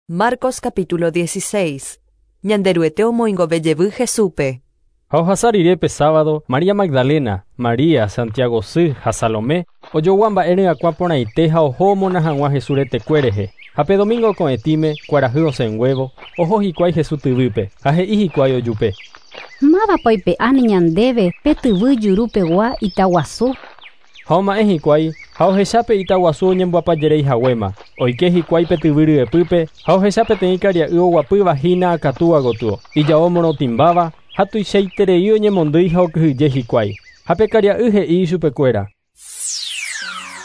Marcos capítulo 16. Ñanderuete omoingove jevy Jesúspe. Ha ohasa rire pe sábado, María Magdalena, María, Santiago sy ha Salomé, ojogua mba'e ryakuã porãite ha oho omona hag̃ua Jesús retekue rehe. Ha pe domingo ko'ẽtĩme, kuarahy osẽnguévo, oho hikuái Jesús tyvýpe, ha he'i hikuái ojupe. Mávapa oipe'áne ñandéve pe tyvy juru pegua ita guasu? Ha oma'ẽ hikuái, ha ohecha pe ita guasu oñemboapajeréi haguéma. Oike hikuái pe tyvy ryepýpe, ha ohecha peteĩ karia'y oguapýva hína akatúa gotyo, ijao morotĩmbáva, ha tuichaiterei oñemondýi ha okyhyje hikuái. Ha pe karia'y he'i ichupekuéra.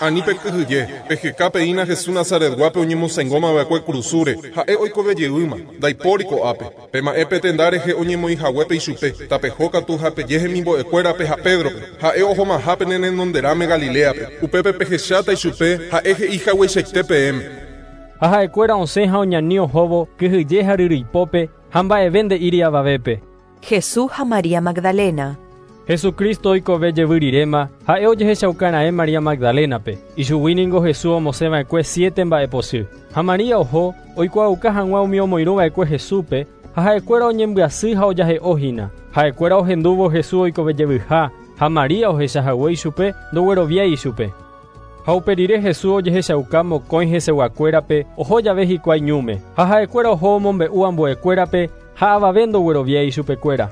Ani pekyhyje, peheka peína Jesús Nazaretguápe oñemosãingóma va'ekue kurusúre, ha'e oikove jeýma, ndaipóri ko'ápe. Pema'ẽ pe tenda rehe oñemoĩ haguépe ichupe, tapeho katu ha peje hemimbo'ekuérape ha Pédrope, ha'e ohomaha pene renonderãme Galiléape, upépe pehecháta ichupe, ha'e he'i hagueichaite peẽme. Ha ha'ekuéra osẽ ha oñani ohóvo kyhyje ha ryryipópe ha mba'eve nde'íri avavépe. Jesús ha María Magdalena. Jesucristo oikove jevy riréma, ha'e ojehechauka María Magdalena-pe. Ichugui ningo Jesús omosẽva'ekue siete mba'epochy. Ha María oho, oikuaauka hag̃ua umi omoirũva'ekue Jesúspe, ha ha'ekuéra oñembyasy ha ojahe'ohína. Ha'ekuéra ohendúvo Jesús oikove jevyha, ha María ohechahague ichupe, ndogueroviái ichupe. Ha upe rire Jesús ojehechauka mokõi heseguakuérape oho jave hikuái ñúme. Ha ha'ekuéra oho omombe'u ambuekuérape ha avave ndogueroviái ichupekuéra.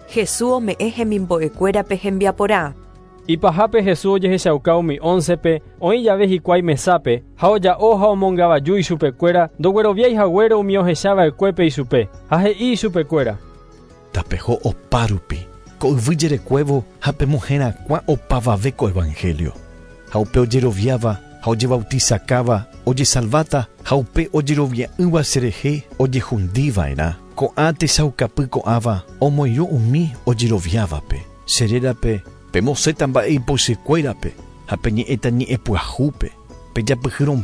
Jesús ome'ẽ hemimbo'ekuérape hembiaporã. Ipahápe Jesús ojehechauka umi 11-pe oĩ jave hikuái mesápe ha oja'o ha omongavaju ichupekuéra ndogueroviái haguére umi ohechava'ekuépe ichupe ha he'i ichupekuéra. Tapeho opárupi, ko yvy jerekuévo ha pemoherakuã opavave ko evangelio. Ha upe ojeroviáva ha ojebautizakáva ojesalváta ha upe ojerovia'ỹva cherehe ojehundiva'erã. Ko'ã techaukapy ko'ãva omoirũ umi ojeroviávape. Che rérape pemosẽta mba'e ipochykuérape ha peñe'ẽta ñe'ẽpyahúpe. Pejapyhýrõ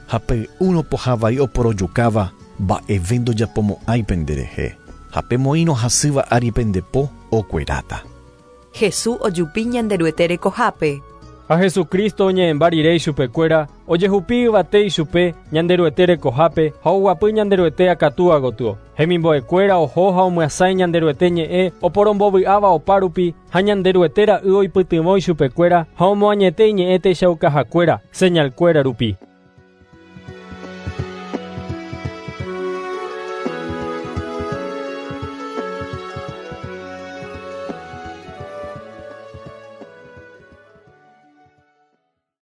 ha pey'úrõ pohã oporojukáva mba'eve ndojapomo'ãi penderehe. Ha pemoĩrõ hasýva ári pendepo okueráta. Jesús ojupi Ñanderuete rekohápe. Ha Jesucristo oñe'ẽmba rire ichupekuéra ojehupi yvate ichupe Ñanderuete rekohápe ha oguapy Ñanderuete akatúa gotyo. Hemimbo'ekuéra oho ha omyasãi Ñanderuete ñe'ẽ oporombovy'áva opárupi ha Ñanderuete ra'y oipytyvõ ichupekuéra ha omoañete iñe'ẽ techaukahakuéra señalkuéra rupi.